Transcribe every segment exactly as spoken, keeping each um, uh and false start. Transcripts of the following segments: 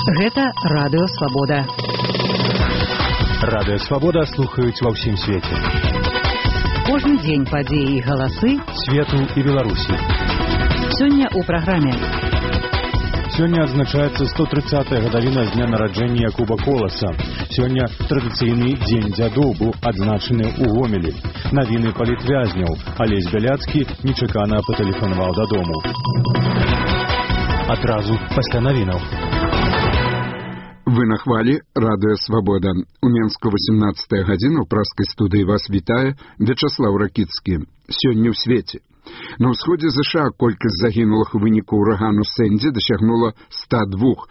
Гэта Радыё Свабода. Радыё Свабода слухаюць ва ўсім свеце. Кожны дзень падзеі і галасы свету і Беларусі. Сёння ў праграме. Сёння адзначаецца сто трыццатая гадавіна з дня нараджэння Якуба Коласа. Сёння традыцыйны дзень дзядоў быў адзначаны ў Гомелі. Навіны палітвязняў. Алесь Бяляцкі нечакана патэлефанаваў дадому. Адразу пасля навінаў. Вы на хвалі Радыё Свабода. У Менску васямнадцатая гадзіна ў праскай студыі вас вітае Вячаслаў Ракіцкі. Сёння ў свеце. На ўсходзе ЗША колькасць загінулых у выніку ўрагану Сэнді дасягнула ста двух.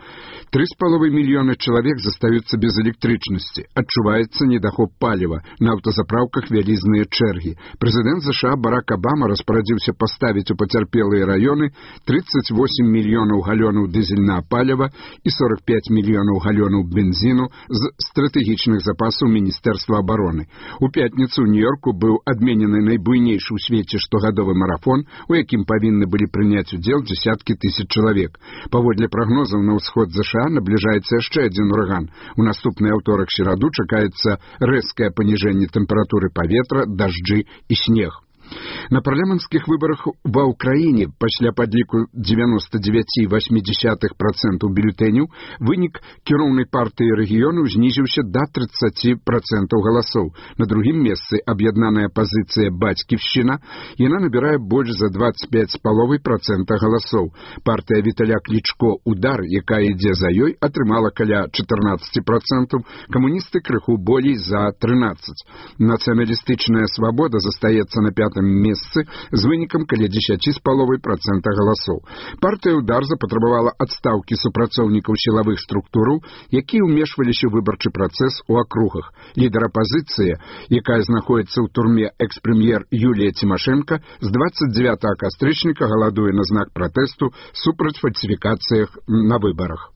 Тры з паловай мільёны чалавек застаюцца без электрычнасці. Адчуваецца недахоп паліва. На аўтазапраўках вялізныя чэргі. Прэзідэнт ЗША Барак Абама распарадзіўся паставіць у пацярпелыя раёны трыццаць восем мільёнаў галёнаў дызельнага паліва і сорок пяць мільёнаў галёнаў бензіну з стратэгічных запасаў Міністэрства абароны. У пятніцу ў Нью-Йорку быў адменены найбуйнейшы ў свеце штогадовы марафон, у якім павінны былі прыняць удзел дзесяткі тысяч чалавек. Паводле прагнозаў, на ўсход ЗША набліжаецца яшчэ адзін ураган. У наступны аўторак-сераду чакаецца рэзкае паніжэнне тэмпературы паветра, дажджы і снег. На парламенцкіх выбарах ва ўкраіне пасля падліку дзевяноста дзевяць і васьмі дзесятых працэнтаў бюлетэняў вынік кіроўнай партыі рэгіёну знізіўся да трыццаці працэнтаў галасоў. На другім месцы аб'яднаная пазіцыя «Бацьківшчына», яна набірае больш за дваццаць пяць з паловай працэнта галасоў. Партыя Віталя Клічко «Удар», якая ідзе за ёй, атрымала каля чатырнаццаць працэнтаў, камуністы крыху болей за трынаццаць. Нацыяналістычная свабода застаецца на пятым месцы з вынікам каля дзесяці з паловай працэнта галасоў. Партыя «Удар» запатрабавала адстаўкі супрацоўнікаў сілавых структураў, якія ўмешваліся ў выбарчы працэс у акругах. Лідар апазіцыі, якая знаходзіцца ў турме экс-прэм'ер Юлія Цімашэнка, з дваццаць дзевятага кастрычніка галадуе на знак пратэсту супраць фальсіфікацыях на выбарах.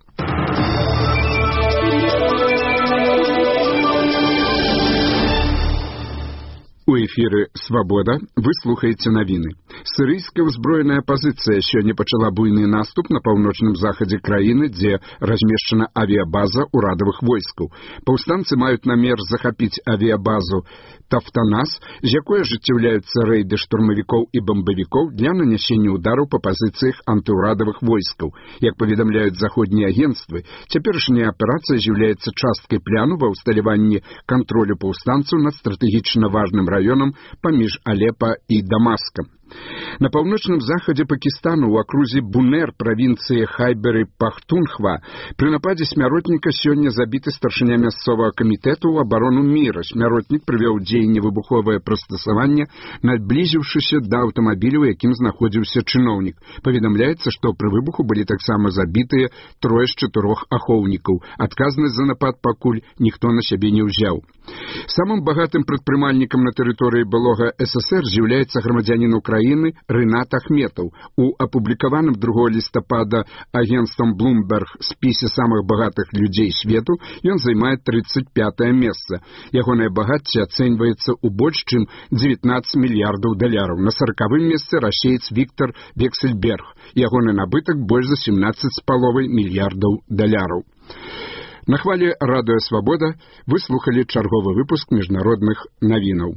У эфіры «Свабода» вы слухаеце навіны. Сірыйская ўзброеная апазіцыя сёння пачала буйны наступ на паўночным захадзе краіны, дзе размешчана авіябаза ўрадавых войскаў. Паўстанцы маюць намер захапіць авіябазу Тафтанас, з якой ажыццяўляюцца рэйды штурмавікоў і бамбавікоў для нанясення ўдараў па пазіцыях антыўрадавых войскаў. Як паведамляюць заходнія агенцтвы, цяперашняя аперацыя з'яўляецца часткай пляну ва ўсталяванні кантролю паўстанцаў над стратэгічна важным раёнам паміж Алепа і Дамаскам. На паўночным захадзе Пакістану ў акрузе Бунер правінцыі Хайбер-і-Пахтунхва пры нападзе смяротніка сёння забіты старшыня мясцовага камітэту ў абарону міра. Смяротнік прывёў дзеянне выбуховае прыстасаванне, наблізіўшыся да аўтамабіля, у якім знаходзіўся чыноўнік. Паведамляецца, што пры выбуху былі таксама забітыя трое з чатырох ахоўнікаў. Адказнасць за напад пакуль ніхто на сябе не ўзяў. Самым багатым прадпрымальнікам на тэрыторыі былога СССР з'яўляецца грамадзянін Украіны Рынат Ахметаў. У апублікаваным другога лістапада агенцтвам Bloomberg спісе самых багатых людзей свету ён займае трыццаць пятае месца. Ягонае багацце ацэньваецца ў больш чым дзевятнаццаць мільярдаў даляраў. На саракавым месцы расеец Віктор Вексельберг. Ягоны набытак больш за сямнаццаць з паловай мільярдаў даляраў. На хвалі Радыё Свабода вы слухалі чарговы выпуск міжнародных навінаў.